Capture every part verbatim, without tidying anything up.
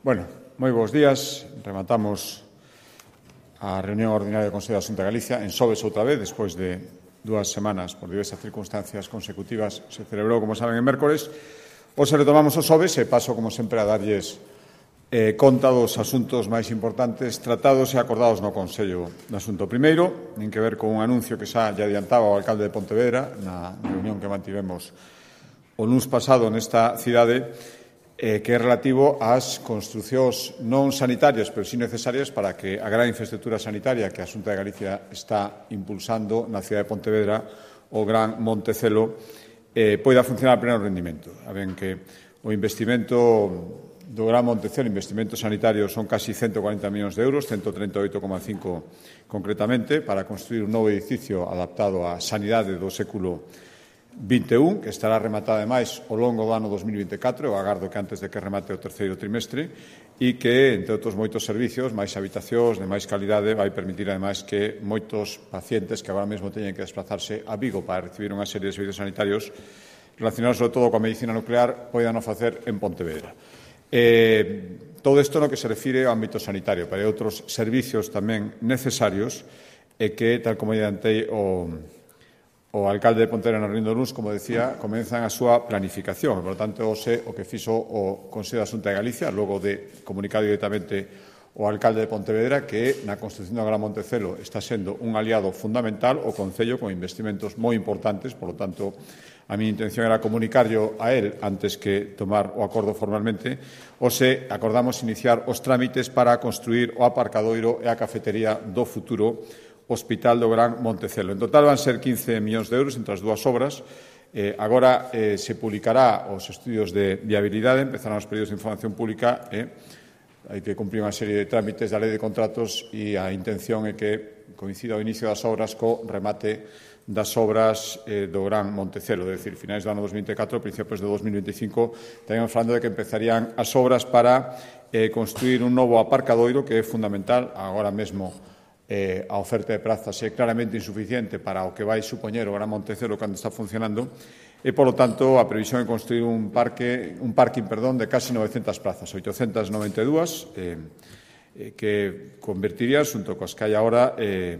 Bueno, moi bons días. Rematamos a reunión ordinaria do Consello da Xunta de Galicia en Sobes outra vez, despois de dúas semanas por diversas circunstancias consecutivas. Se celebrou, como saben, en mércores. Hoxe retomamos os Sobes e paso, como sempre, a darlles eh, conta dos asuntos máis importantes tratados e acordados no Consello de Asunto. Primeiro, nin que ver con un anuncio que xa lle adiantaba o alcalde de Pontevedra na reunión que mantivemos o luns pasado nesta cidade, Eh, que é relativo ás construcións non sanitarias, pero sí necesarias para que a gran infraestructura sanitaria que a Xunta de Galicia está impulsando na cidade de Pontevedra, o Gran Montecelo, eh, poida funcionar a pleno rendimento. A ben que o investimento do Gran Montecelo, investimento sanitario, son casi ciento cuarenta millóns de euros, ciento trinta e oito coma cinco concretamente, para construir un novo edificio adaptado á sanidade do século vinte e un, que estará rematada, ademais, ao longo do ano dos mil vinte e catro, eu agardo que antes de que remate o terceiro trimestre, e que, entre outros moitos servicios, máis habitacións, de máis calidade, vai permitir, ademais, que moitos pacientes que agora mesmo teñen que desplazarse a Vigo para recibir unha serie de servicios sanitarios relacionados, sobre todo, coa medicina nuclear, poidan o facer en Pontevedra. Eh, todo isto no que se refire ao ámbito sanitario, pero hai outros servicios tamén necesarios e que, tal como adiantei o O alcalde de Pontevedra no Rindo Luns, como decía, comenzan a súa planificación. Por lo tanto, hoxe o que fixo o Consello da Xunta de Galicia, logo de comunicar directamente o alcalde de Pontevedra que na construción do Gran Montecelo está sendo un aliado fundamental o Concello con investimentos moi importantes. Por lo tanto, a miña intención era comunicarlo a él antes que tomar o acordo formalmente. Hoxe acordamos iniciar os trámites para construir o aparcadoiro e a cafetería do futuro Hospital do Gran Montecelo. En total van ser quince millóns de euros entre as dúas obras. Eh, agora eh, se publicará os estudios de viabilidade, empezarán os períodos de información pública e eh, hai que cumprir unha serie de trámites da lei de contratos e a intención é que coincida o inicio das obras co remate das obras eh, do Gran Montecelo, é dicir, finais do ano dos mil vinte e catro, principios do dos mil vinte e cinco, estaríamos falando de que empezarían as obras para eh, construir un novo aparcadoiro que é fundamental agora mesmo. Eh, a oferta de prazas é claramente insuficiente para o que vai supoñer o Gran Montecelo cando está funcionando e, polo tanto, a previsión é construir un parque, un parking, perdón, de casi novecentas plazas, oitocentas noventa e dúas, eh, eh, que convertiría, xunto coas que hai agora, eh,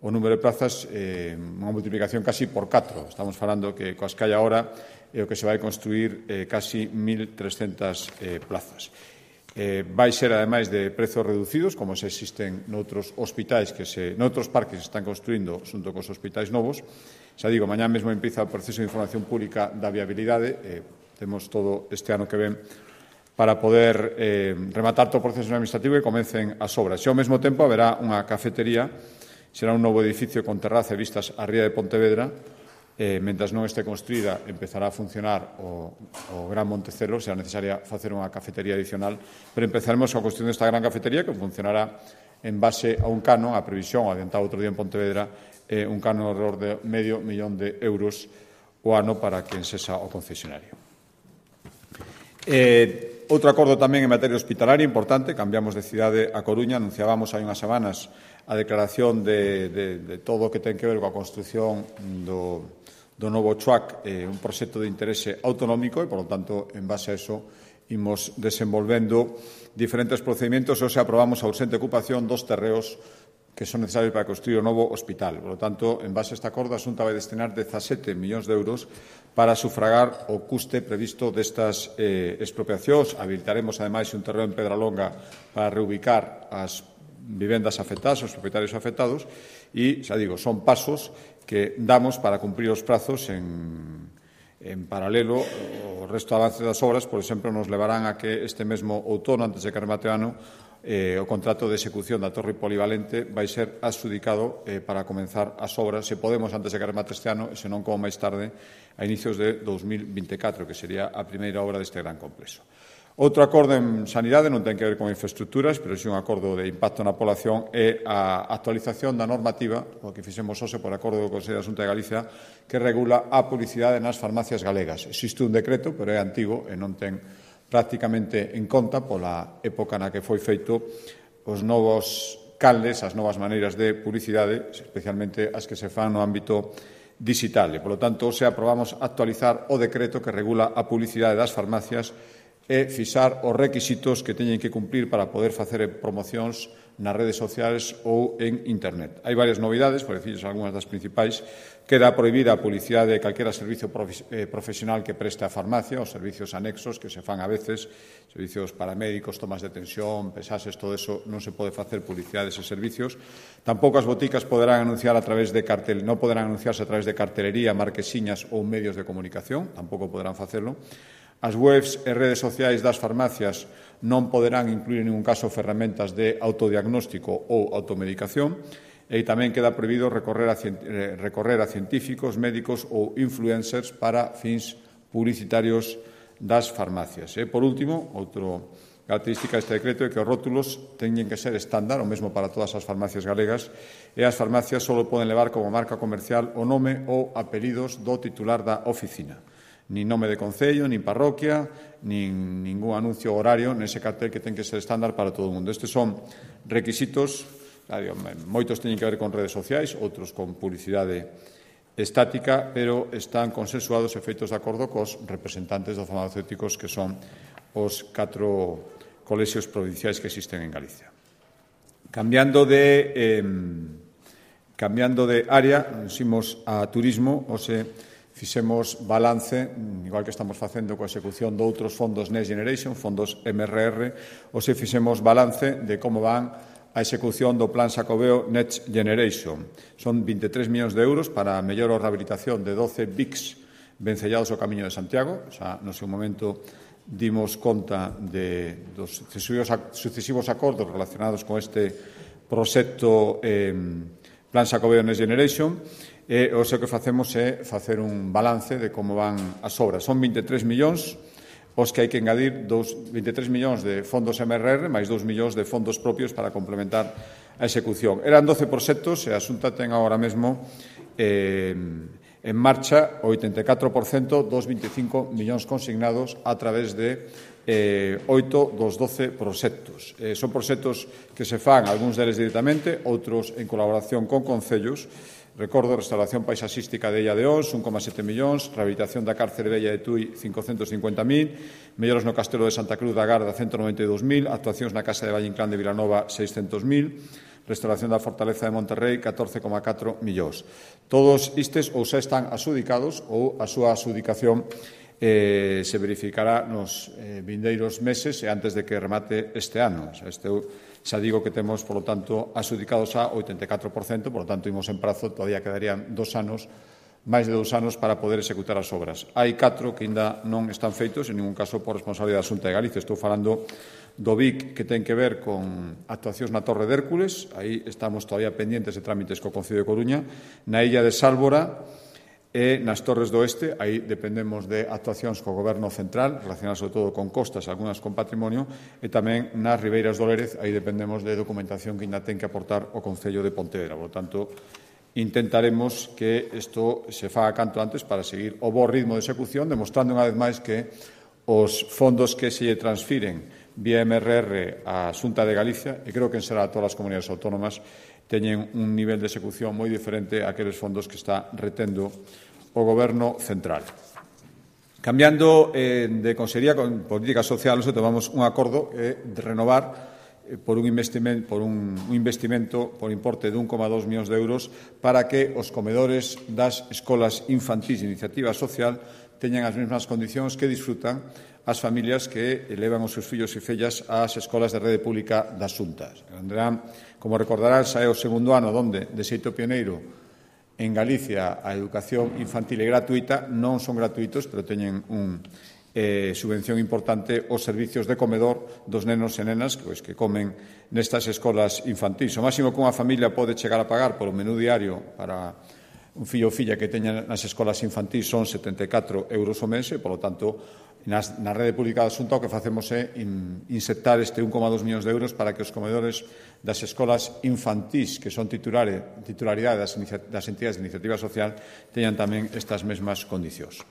o número de plazas eh, unha multiplicación casi por catro. Estamos falando que coas que hai agora é o que se vai construir eh, casi mil trescentas eh, plazas. Eh, vai ser, ademais, de prezos reducidos, como se existen noutros hospitais que se, noutros parques que se están construindo xunto cos hospitais novos. Xa digo, mañá mesmo empieza o proceso de información pública da viabilidade. Eh, temos todo este ano que ven para poder eh, rematar todo o proceso administrativo e comecen as obras. E, ao mesmo tempo, haberá unha cafetería, será un novo edificio con terraza e vistas á ría de Pontevedra. Eh, mentras non este construída, empezará a funcionar o, o Gran Montecelo, será necesaria facer unha cafetería adicional, pero empezaremos a construir esta gran cafetería que funcionará en base a un canon, a previsión, adiantado outro día en Pontevedra, eh, un canon alrededor de medio millón de euros o ano para quen sexa o concesionario. Eh, outro acordo tamén en materia hospitalaria importante, cambiamos de cidade a Coruña, anunciábamos hai unhas semanas a declaración de, de, de todo o que ten que ver coa construción do do novo C H U A C, eh, un proxecto de interese autonómico e, por lo tanto, en base a eso, imos desenvolvendo diferentes procedimentos e hoxe aprobamos a urxente ocupación dos terreos que son necesarios para construir o novo hospital. Por lo tanto, en base a este acordo, a Xunta vai destinar dezasete millóns de euros para sufragar o custe previsto destas eh, expropiacións. Habilitaremos, ademais, un terreno en Pedralonga para reubicar as vivendas afectadas, os propietarios afectados, e, xa digo, son pasos que damos para cumprir os prazos en, en paralelo. O resto de avances das obras, por exemplo, nos levarán a que este mesmo outono, antes de que remate o ano, eh, o contrato de execución da torre polivalente vai ser adxudicado eh, para comenzar as obras, se podemos, antes de que remate este ano, e senón como máis tarde, a inicios de dos mil vinte e catro, que sería a primeira obra deste gran complexo. Outro acordo en sanidade non ten que ver con infraestructuras, pero é un acordo de impacto na población e a actualización da normativa, o que fixemos hoxe por acordo do Consello da Xunta de Galicia, que regula a publicidade nas farmacias galegas. Existe un decreto, pero é antigo e non ten prácticamente en conta, pola época na que foi feito, os novos caldes, as novas maneiras de publicidade, especialmente as que se fan no ámbito digital. E, polo tanto, hoxe aprobamos actualizar o decreto que regula a publicidade das farmacias e fixar os requisitos que teñen que cumprir para poder facer promocións nas redes sociais ou en Internet. Hai varias novidades, por decirles algunhas das principais. Queda prohibida a publicidade de calquera servicio profesional que preste a farmacia, os servicios anexos que se fan a veces, servicios paramédicos, tomas de tensión, pesases, todo eso, non se pode facer publicidade deses servicios. Tampouco as boticas poderán anunciar a través de cartel, non poderán anunciarse a través de cartelería, marquesiñas ou medios de comunicación, tampouco poderán facelo. As webs e redes sociais das farmacias non poderán incluir en ningún caso ferramentas de autodiagnóstico ou automedicación e tamén queda prohibido recorrer a, recorrer a científicos, médicos ou influencers para fins publicitarios das farmacias. E, por último, outra característica deste decreto é que os rótulos teñen que ser estándar, o mesmo para todas as farmacias galegas, e as farmacias só poden levar como marca comercial o nome ou apelidos do titular da oficina. Nin nome de concello, nin parroquia, nin ningún anuncio horario nese cartel que ten que ser estándar para todo o mundo. Estes son requisitos, claro, moitos teñen que ver con redes sociais, outros con publicidade estática, pero están consensuados e feitos de acordo cos representantes dos farmacéuticos que son os catro colexios provinciais que existen en Galicia. Cambiando de, eh, cambiando de área, ximos a turismo, o se fixemos balance, igual que estamos facendo coa execución de outros fondos Next Generation, fondos M R R, ou se fixemos balance de como van a execución do Plan Xacobeo Next Generation. Son vinte e tres millóns de euros para a mellor rehabilitación de doce bics vencellados ao Camiño de Santiago. O sea, no seu momento dimos conta de, dos sucesivos acordos relacionados con este proxecto eh, Plan Xacobeo Next Generation. E o que facemos é facer un balance de como van as obras. Son vinte e tres millóns os que hai que engadir, vinte e tres millóns de fondos M R R máis dous millóns de fondos propios para complementar a execución. Eran doce proxectos e a Xunta ten agora mesmo eh, en marcha o oitenta e catro por cento dos vinte e cinco millóns consignados a través de eh, oito dos doce proxectos. Eh, son proxectos que se fan, algúns deles directamente, outros en colaboración con concellos. Recordo, restauración paisaxística de Illa de Ons, un coma sete millóns, rehabilitación da cárcere vella de Tui, cincocentos cincuenta mil, melloras no Castelo de Santa Cruz da Garda, cento noventa e dous mil, actuacións na Casa de Valle Inclán de Vilanova, seiscentos mil, restauración da Fortaleza de Monterrey, catorce coma catro millóns. Todos estes ou xa están adxudicados ou a súa adxudicación eh, se verificará nos eh, vindeiros meses e antes de que remate este ano. O sea, este xa digo que temos, por lo tanto, adxudicados a oitenta e catro por cento, por lo tanto, imos en prazo, todavía quedarían dos anos, máis de dous anos para poder executar as obras. Hai catro que ainda non están feitos, en ningún caso por responsabilidade da Xunta de Galicia. Estou falando do V I C que ten que ver con actuacións na Torre de Hércules, aí estamos todavía pendientes de trámites co Concello de Coruña, na Illa de Sálvora e nas Torres do Oeste, aí dependemos de actuacións co Goberno central, relacionadas sobre todo con costas, algunhas con patrimonio, e tamén nas Ribeiras do Lérez, aí dependemos de documentación que ainda ten que aportar o Concello de Pontevedra. Por lo tanto, intentaremos que isto se faga canto antes para seguir o bo ritmo de execución, demostrando unha vez máis que os fondos que se transfiren vía M R R á Xunta de Galicia, e creo que en será a todas as comunidades autónomas, teñen un nivel de execución moi diferente a aqueles fondos que está retendo o Goberno central. Cambiando eh, de Consellería con Política Social, nos tomamos un acordo eh, de renovar eh, por, un investimento, por un, un investimento por importe de un coma dos millóns de euros para que os comedores das escolas infantís de iniciativa social teñan as mesmas condicións que disfrutan as familias que elevan os seus fillos e fillas ás escolas de rede pública das Xuntas. Como recordarán, xa é o segundo ano onde, de xeito pioneiro, en Galicia a educación infantil é gratuita, non son gratuitos, pero teñen un eh, subvención importante os servicios de comedor dos nenos e nenas pois, que comen nestas escolas infantís. O máximo que unha familia pode chegar a pagar polo menú diario para un fillo ou filla que teña nas escolas infantís son setenta e catro euros o mes e, polo tanto, nas, na rede pública da Xunta o que facemos é in, insertar este un coma dos millóns de euros para que os comedores das escolas infantís que son titulare, titularidade das, das entidades de iniciativa social teñan tamén estas mesmas condicións.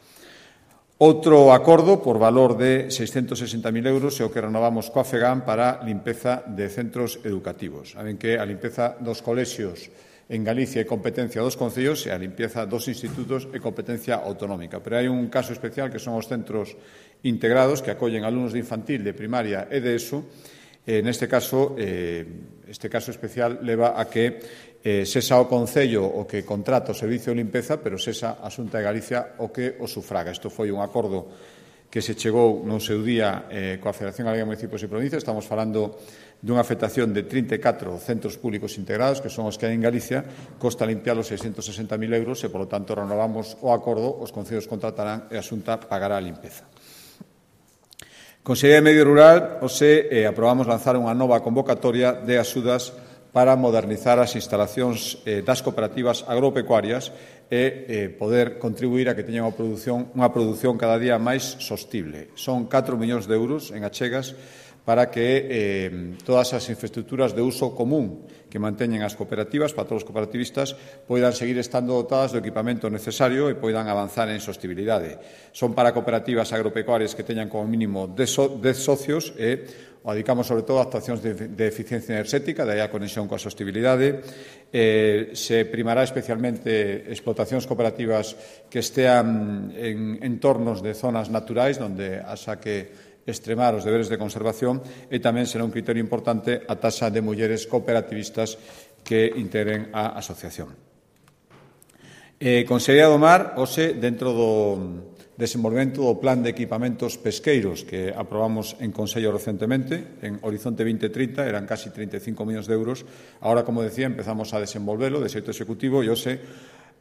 Outro acordo por valor de seiscentos sesenta mil euros é o que renovamos coa FEGAM para limpeza de centros educativos. Saben que a limpeza dos colexios en Galicia é competencia dos concellos e a limpieza dos institutos é competencia autonómica. Pero hai un caso especial que son os centros integrados que acollen alumnos de infantil, de primaria e de ESO. Eh, neste caso, eh, este caso especial leva a que eh, sesa o Concello o que contrata o servicio de limpeza, pero sesa a Xunta de Galicia o que o sufraga. Isto foi un acordo que se chegou no seu día eh, coa Federación Galega de Municipios e Provincias. Estamos falando dunha afectación de trinta e catro centros públicos integrados, que son os que hai en Galicia, costa limpiar os seiscentos sesenta mil euros e, polo tanto, renovamos o acordo, os concellos contratarán e a Xunta pagará a limpeza. Consellería de Medio Rural, hoxe eh, aprobamos lanzar unha nova convocatoria de axudas para modernizar as instalacións eh, das cooperativas agropecuarias e eh, poder contribuir a que teñan unha produción, unha produción cada día máis sostible. Son catro millóns de euros en achegas para que eh, todas as infraestructuras de uso común que manteñen as cooperativas, para todos os cooperativistas, poidan seguir estando dotadas do equipamento necesario e poidan avanzar en sostibilidade. Son para cooperativas agropecuarias que teñan como mínimo dez socios e o dedicamos sobre todo a actuacións de, de eficiencia enerxética, daí a conexión coa sostibilidade. Eh, se primará especialmente explotacións cooperativas que estean en entornos de zonas naturais, onde haxa que extremar os deberes de conservación, e tamén será un criterio importante a taxa de mulleres cooperativistas que integren a asociación. Eh, Consellería do Mar, hoxe, dentro do desenvolvemento do Plan de Equipamentos Pesqueiros que aprobamos en Consello recentemente, en Horizonte vinte trinta, eran casi trinta e cinco millóns de euros. Ahora, como decía, empezamos a desenvolvelo de xeito executivo e hoxe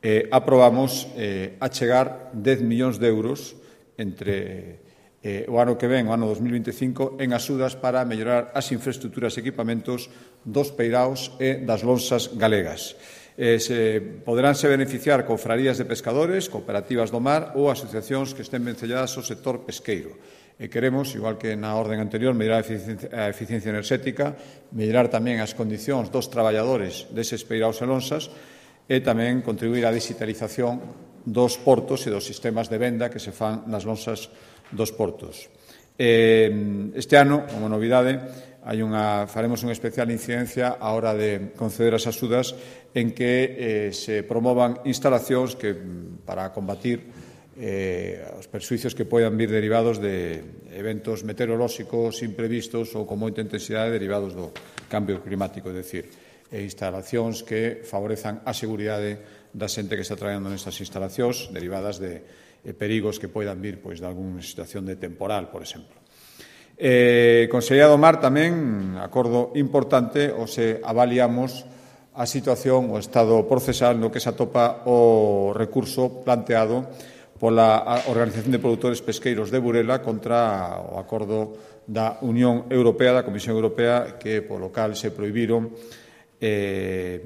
eh, aprobamos eh, achegar dez millóns de euros entre eh, o ano que ven, o ano dos mil vinte e cinco, en axudas para mellorar as infraestructuras e equipamentos dos peiraos e das lonsas galegas. Eh, se poderánse beneficiar confrarías de pescadores, cooperativas do mar ou asociacións que estén vencelladas ao sector pesqueiro. E queremos, igual que na orden anterior, mellorar a eficiencia, a eficiencia enerxética, mellorar tamén as condicións dos traballadores deses peiraos e lonsas e tamén contribuir á digitalización dos portos e dos sistemas de venda que se fan nas lonsas dos portos. Eh, este ano, como novidade, hai unha, faremos unha especial incidencia á hora de conceder as axudas en que eh, se promovan instalacións que, para combatir eh, os perxuicios que poidan vir derivados de eventos meteorolóxicos imprevistos ou con moita intensidade derivados do cambio climático, é dicir, e instalacións que favorezan a seguridade da xente que está traballando nestas instalacións derivadas de eh, perigos que poidan vir pois, de algunha situación de temporal, por exemplo. Eh, Consellería do Mar tamén, acordo importante, o se avaliamos a situación, o estado procesal no que se atopa o recurso planteado pola Organización de Produtores Pesqueiros de Burela contra o acordo da Unión Europea, da Comisión Europea, que polo cal se prohibiron eh,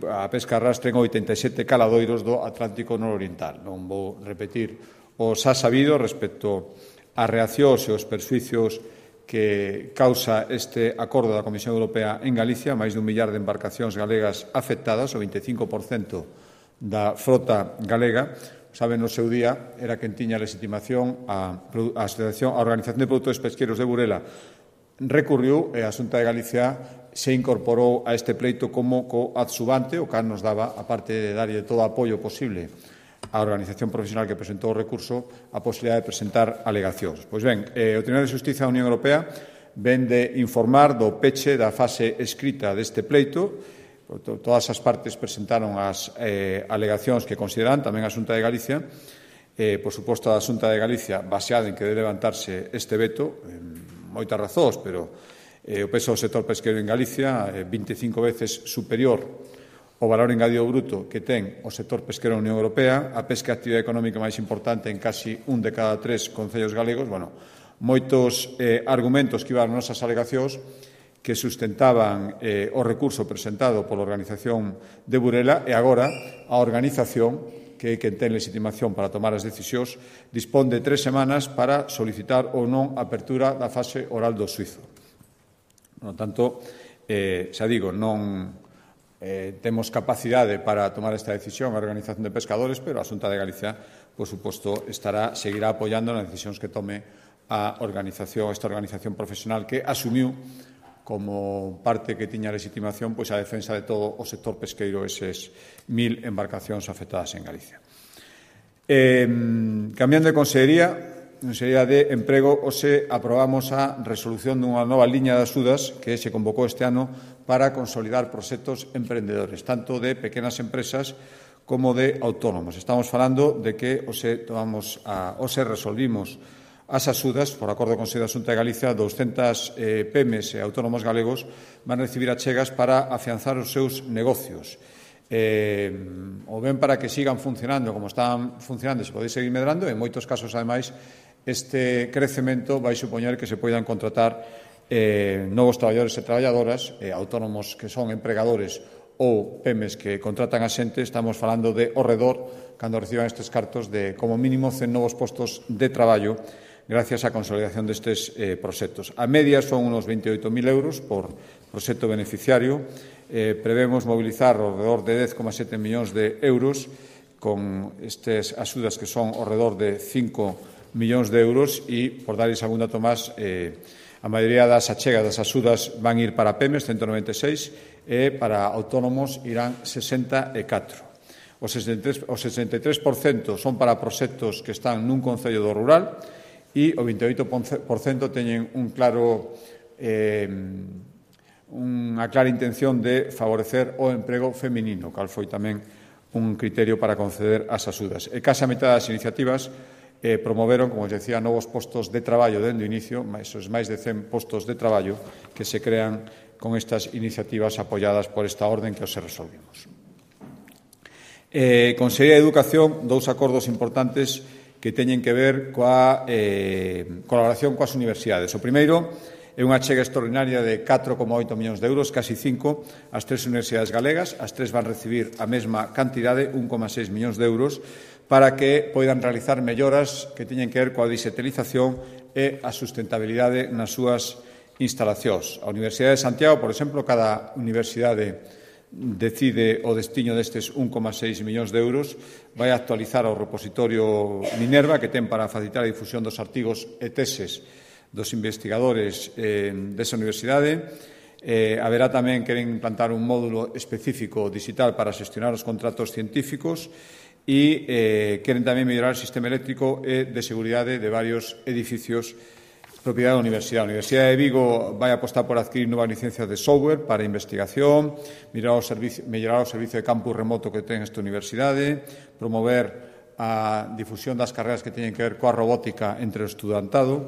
a pesca arrastre en oitenta e sete caladoiros do Atlántico nororiental. Non vou repetir o xa sabido respecto as reaccións e os perxuicios que causa este acordo da Comisión Europea en Galicia, máis dun millar de embarcacións galegas afectadas, o vinte e cinco por cento da frota galega. Saben, no seu día, era quen tiña legitimación a, a, Asociación, a Organización de Produtores Pesqueros de Burela recurriu e a Xunta de Galicia se incorporou a este pleito como coadsubante, o cal nos daba, aparte de darlle todo o apoio posible a organización profesional que presentou o recurso, a posibilidade de presentar alegacións. Pois ben, eh, o Tribunal de Xustiza da Unión Europea ven de informar do peche da fase escrita deste pleito. Todas as partes presentaron as eh, alegacións que consideran, tamén a Xunta de Galicia. Eh, por suposto, a Xunta de Galicia, baseada en que debe levantarse este veto, eh, moitas razóns, pero eh, o peso do sector pesqueiro en Galicia é eh, vinte e cinco veces superior o valor engadido bruto que ten o sector pesqueiro na Unión Europea, a pesca é a actividade económica máis importante en casi un de cada tres concellos galegos. Bueno, moitos eh, argumentos que iban nas nosas alegacións que sustentaban eh, o recurso presentado pola Organización de Burela e agora a organización, que é quen ten legitimación para tomar as decisións, dispón de tres semanas para solicitar ou non a apertura da fase oral do xuízo. Por tanto, eh, xa digo, non eh, temos capacidade para tomar esta decisión a Organización de Pescadores, pero a Xunta de Galicia, por suposto, estará, seguirá apoiando nas decisións que tome a organización, esta organización profesional que asumiu como parte que tiña legitimación pois a defensa de todo o sector pesqueiro, eses mil embarcacións afectadas en Galicia. Eh, cambiando de consellería, Consellería de Emprego, hoxe aprobamos a resolución dunha nova liña de axudas que se convocou este ano para consolidar proxectos emprendedores, tanto de pequenas empresas como de autónomos. Estamos falando de que hoxe, tomamos a, hoxe resolvimos as axudas, por acordo do Consello da Xunta de Galicia, douscentas eh, pymes e autónomos galegos van recibir achegas para afianzar os seus negocios. Eh, ou ben para que sigan funcionando como están funcionando, se pode seguir medrando, e en moitos casos, ademais, este crecemento vai supoñer que se poidan contratar eh, novos traballadores e traballadoras, eh, autónomos que son empregadores ou pymes que contratan a xente. Estamos falando de ao redor, cando reciban estes cartos, de como mínimo cen novos postos de traballo gracias á consolidación destes eh, proxectos. A media son unos veintioito mil euros por proxecto beneficiario. Eh, prevemos mobilizar ao redor de dez coma sete millóns de euros con estas axudas que son ao redor de cinco millóns de euros e, por darles algún dato máis, eh, a maioría das achegas das axudas van ir para pymes, ciento noventa e seis, e para autónomos irán sesenta e catro. O sesenta e tres por cento son para proxectos que están nun concello do rural e o vinte e oito por cento teñen un claro... Eh, unha clara intención de favorecer o emprego feminino, cal foi tamén un criterio para conceder as axudas. E case a metade das iniciativas eh, promoveron, como os decía, novos postos de traballo dende o inicio, esos máis de cen postos de traballo que se crean con estas iniciativas apoiadas por esta orden que os resolvimos. Eh, Consellería de Educación, dous acordos importantes que teñen que ver coa eh, colaboración coas universidades. O primeiro é unha achega extraordinaria de catro coma oito millóns de euros, casi cinco, as tres universidades galegas. As tres van recibir a mesma cantidade, un coma seis millóns de euros, para que poidan realizar melloras que teñen que ver coa digitalización e a sustentabilidade nas súas instalacións. A Universidade de Santiago, por exemplo, cada universidade decide o destiño destes un coma seis millóns de euros, vai actualizar o repositorio Minerva, que ten para facilitar a difusión dos artigos e teses dos investigadores eh, desa universidade. Eh, haberá tamén, queren implantar un módulo específico digital para xestionar os contratos científicos e eh, queren tamén mellorar o sistema eléctrico e de seguridade de varios edificios propiedade da Universidade. A Universidade de Vigo vai apostar por adquirir novas licencias de software para investigación, mellorar o servicio, mellorar o servicio de campus remoto que ten esta universidade, promover a difusión das carreras que teñen que ver coa robótica entre o estudantado.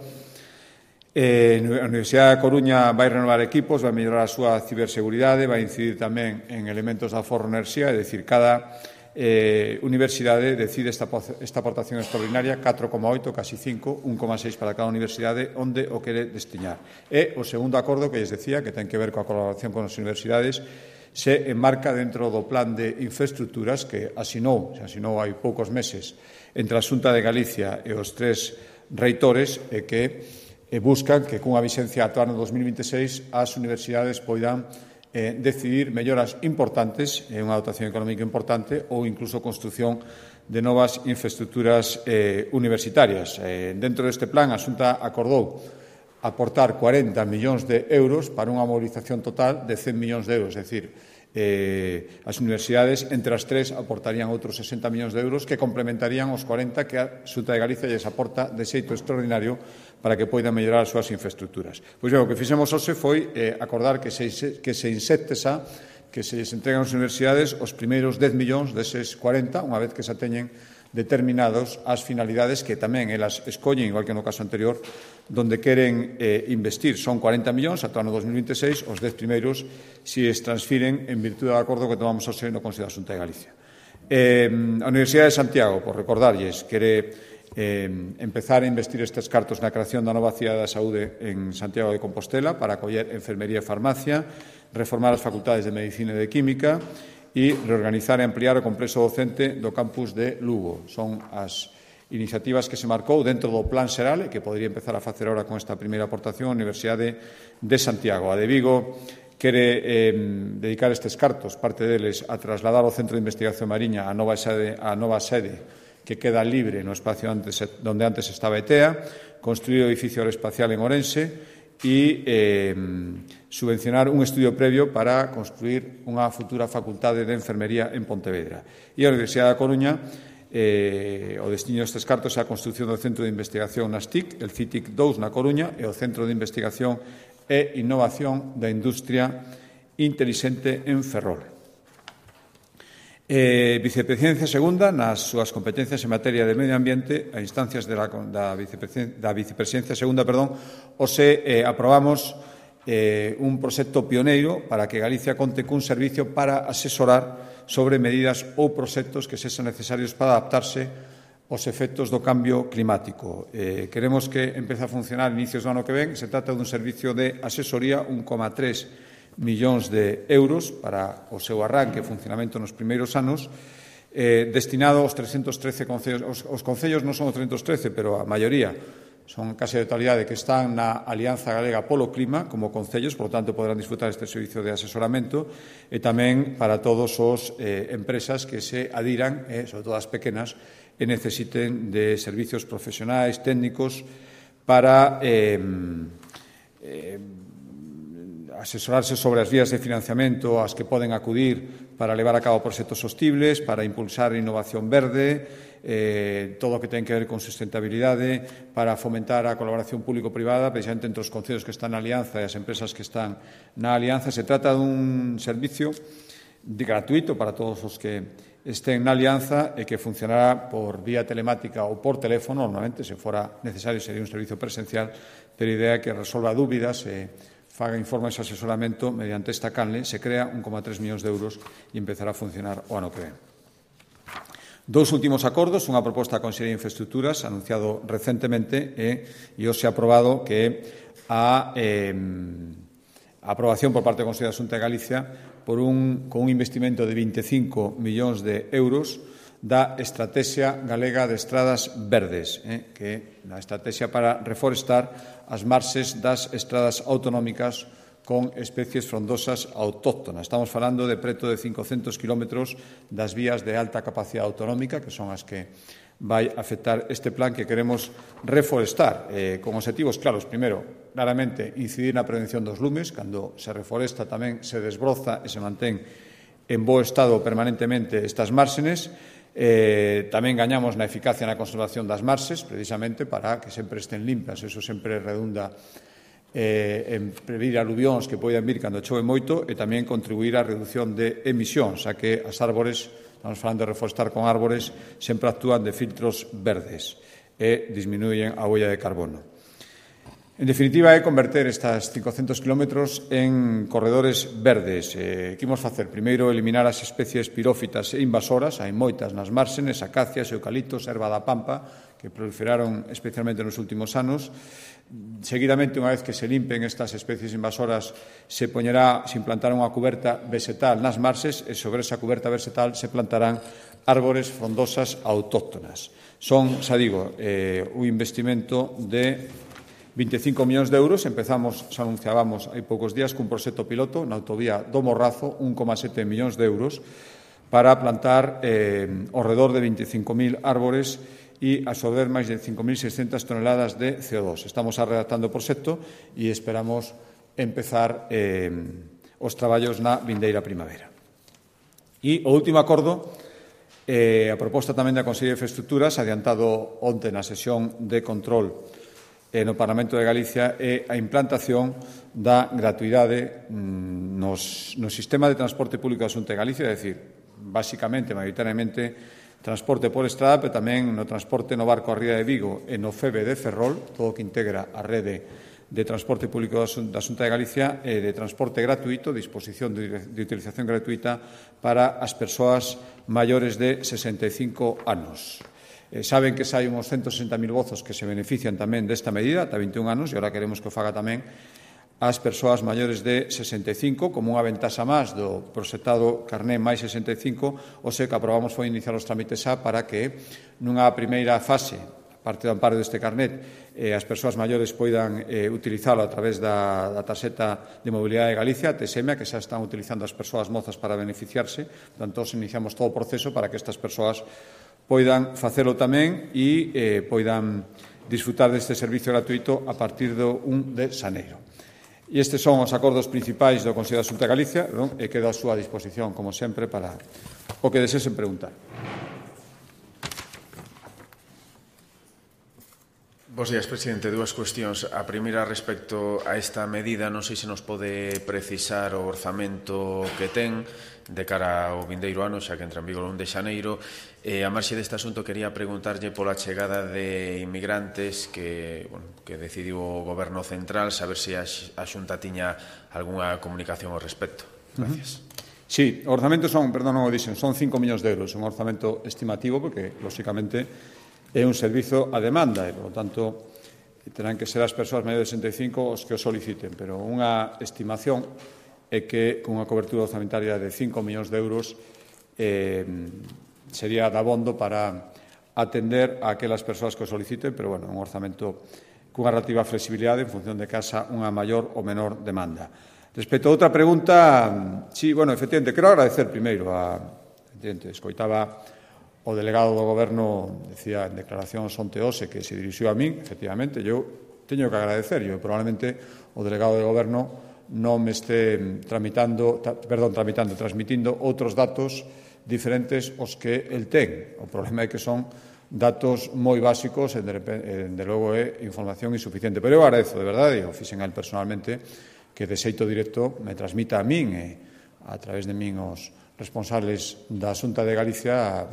Eh, a Universidade da Coruña vai renovar equipos, vai mellorar a súa ciberseguridade, vai incidir tamén en elementos da Forro Enerxía, é dicir, cada eh, universidade decide esta, esta aportación extraordinaria, catro coma oito, casi cinco, un coma seis para cada universidade, onde o quere destiñar. E o segundo acordo que lles decía, que ten que ver coa colaboración con as universidades, se enmarca dentro do plan de infraestructuras que asinou, se asinou hai poucos meses, entre a Xunta de Galicia e os tres reitores, e que e buscan que cunha vixencia ata o ano dos mil vinte e seis as universidades poidan eh, decidir melloras importantes, eh, unha dotación económica importante ou incluso construción de novas infraestructuras eh, universitarias. Eh, dentro deste plan, a Xunta acordou aportar cuarenta millóns de euros para unha movilización total de cen millóns de euros, é dicir, eh, as universidades entre as tres aportarían outros sesenta millóns de euros que complementarían os cuarenta que a Xunta de Galicia lles aporta de xeito extraordinario para que poidan mellorar as súas infraestructuras. Pois ben, o que fixemos hoxe foi eh, acordar que se, que se insecte xa, que se lles entregan ás universidades os primeiros dez millóns deses cuarenta, unha vez que xa teñen determinados as finalidades que tamén elas escollen, igual que no caso anterior, donde queren eh, investir. Son cuarenta millóns ata o ano dos mil vinte e seis, os dez primeiros si es transfiren en virtude do acordo que tomamos hoxe no Consello da Xunta de Galicia. Eh, a Universidade de Santiago, por recordarlles, quere eh, empezar a investir estes cartos na creación da nova cidade da saúde en Santiago de Compostela para acoller enfermería e farmacia, reformar as facultades de Medicina e de Química e reorganizar e ampliar o complexo docente do campus de Lugo. Son as iniciativas que se marcou dentro do Plan Xeral e que podría empezar a facer ahora con esta primeira aportación a Universidade de Santiago. A de Vigo quere eh, dedicar estes cartos, parte deles, a trasladar o Centro de Investigación Mariña a nova sede, a nova sede que queda libre no espacio antes, donde antes estaba E T E A, construir o edificio aeroespacial en Ourense e eh, subvencionar un estudio previo para construir unha futura facultade de enfermería en Pontevedra. E a Universidade da Coruña Eh, o destino destes cartos é a construción do Centro de Investigación nas T I C, el C I T I C dous na Coruña e o Centro de Investigación e Innovación da Industria Intelixente en Ferrol. Eh, Vicepresidencia segunda, nas súas competencias en materia de medio ambiente, a instancias de la, da, vicepresidencia, da Vicepresidencia segunda, perdón, ose eh, aprobamos eh, un proxecto pioneiro para que Galicia conte cun servicio para asesorar sobre medidas ou proxectos que sexan necesarios para adaptarse aos efectos do cambio climático. Eh, queremos que empece a funcionar a inicios do ano que ven. Se trata dun servicio de asesoría, un coma tres millóns de euros para o seu arranque e funcionamento nos primeiros anos, eh, destinado aos trescentos trece concellos. Os, os concellos non son os trescentos trece, pero a maioría son case a totalidade que están na Alianza Galega polo Clima como concellos, por lo tanto, poderán disfrutar este servicio de asesoramento e tamén para todos os eh, empresas que se adiran, eh, sobre todo as pequenas, e necesiten de servicios profesionais, técnicos, para eh, eh, asesorarse sobre as vías de financiamento ás que poden acudir para levar a cabo proxectos sostibles, para impulsar a innovación verde, eh, todo o que ten que ver con sustentabilidade, para fomentar a colaboración público-privada, precisamente entre os concellos que están na Alianza e as empresas que están na Alianza. Se trata dun servicio de gratuito para todos os que estén na Alianza e que funcionará por vía telemática ou por teléfono. Normalmente, se fora necesario, sería un servicio presencial, pero a idea é que resolva dúbidas e faga informes de asesoramento mediante esta canle. Se crea un coma tres millóns de euros e empezará a funcionar o ano que ven. Dous últimos acordos, unha proposta da Consellería de Infraestructuras anunciado recentemente e, e hoxe aprobado, que a, eh, a aprobación por parte do Consello da Xunta de Galicia por un, con un investimento de veinticinco millóns de euros da Estrategia Galega de Estradas Verdes, eh, que é a estrategia para reforestar as marxes das estradas autonómicas con especies frondosas autóctonas. Estamos falando de preto de cincocentos kilómetros das vías de alta capacidade autonómica, que son as que vai afectar este plan que queremos reforestar, eh, con objetivos claros. Primeiro, claramente, incidir na prevención dos lumes. Cando se reforesta tamén se desbroza e se mantén en bo estado permanentemente estas márxenes. Eh, tamén gañamos na eficacia na conservación das marxes, precisamente para que sempre estén limpas. Eso sempre redunda eh, en prevenir aluvións que poidan vir cando chove moito e tamén contribuir á reducción de emisións, xa que as árbores, estamos falando de reforestar con árbores, sempre actúan de filtros verdes e disminuyen a huella de carbono. En definitiva, é converter estas cincocentos kilómetros en corredores verdes. Eh, que imos facer? Primeiro, eliminar as especies pirófitas e invasoras. Hai moitas nas márxenes, acacias, eucaliptos, erva da pampa, que proliferaron especialmente nos últimos anos. Seguidamente, unha vez que se limpen estas especies invasoras, se poñerá, se implantará unha cuberta vegetal nas marxes e sobre esa cuberta vegetal se plantarán árbores frondosas autóctonas. Son, xa digo, eh, un investimento de veinticinco millóns de euros. Empezamos, xa anunciábamos hai poucos días, cun proxecto piloto na autovía do Morrazo, un coma sete millóns de euros, para plantar eh, ao redor de veinticinco mil árbores e absorber máis de cinco mil seiscentas toneladas de C O dos. Estamos redactando o proxecto e esperamos empezar eh, os traballos na vindeira primavera. E o último acordo, eh, a proposta tamén da Consellería de Infraestructuras, adiantado onte na sesión de control eh, no Parlamento de Galicia, é a implantación da gratuidade mm, nos, no sistema de transporte público da Xunta de Galicia, é dicir, basicamente, maioritariamente, transporte por estrada, pero tamén no transporte no barco a ría de Vigo e no FEBE de Ferrol, todo o que integra a rede de transporte público da Xunta de Galicia, e de transporte gratuito, disposición de, de utilización gratuita para as persoas maiores de sesenta e cinco anos. Eh, saben que hai uns ciento sesenta mil vozos que se benefician tamén desta medida, ata veintiún anos, e agora queremos que o faga tamén as persoas maiores de sesenta e cinco, como unha ventaxa máis do proxectado carné máis sesenta e cinco, o sea que aprobamos foi iniciar os trámites xa para que nunha primeira fase, a parte do amparo deste carnet, eh, as persoas maiores poidan eh, utilizalo a través da, da tarxeta de mobilidade de Galicia, a T S E M A, que xa están utilizando as persoas mozas para beneficiarse. Portanto, iniciamos todo o proceso para que estas persoas poidan facelo tamén e eh, poidan disfrutar deste servicio gratuito a partir do un de xaneiro. E estes son os acordos principais do Consello da Xunta de Galicia, non? E quedo a súa disposición, como sempre, para o que desesen preguntar. Bos días, presidente. Dúas cuestións. A primeira respecto a esta medida, non sei se nos pode precisar o orzamento que ten de cara ao vindeiro ano, xa que entra en vigor o un de xaneiro. E a marxe deste asunto quería preguntarlle pola chegada de inmigrantes que, bueno, que decidiu o Goberno Central, saber se a Xunta tiña algunha comunicación ao respecto. Gracias. Uh-huh. Sí, o orzamento son, perdón, non o dixen, son cinco millóns de euros, un orzamento estimativo, porque, lóxicamente, é un servizo a demanda e, por lo tanto, terán que ser as persoas maiores de sesenta e cinco os que o soliciten, pero unha estimación é que con unha cobertura orzamentaria de cinco millóns de euros eh, sería dabondo para atender a aquelas persoas que o soliciten, pero, bueno, un orzamento cunha relativa flexibilidade en función de que haxa unha maior ou menor demanda. Respecto a outra pregunta, sí, bueno, efectivamente, quero agradecer primeiro a, efectivamente, escoitaba o delegado do Goberno, decía en declaracións onte hoxe que se dirixiu a min, efectivamente, eu teño que agradecer, eu probablemente o delegado do Goberno non me este tramitando, tra, perdón, tramitando, transmitindo outros datos diferentes aos que el ten. O problema é que son datos moi básicos e, de, de logo, é información insuficiente. Pero eu agradezo, de verdade, e o fixen a él personalmente, que de xeito directo me transmita a min e a través de min os responsables da Xunta de Galicia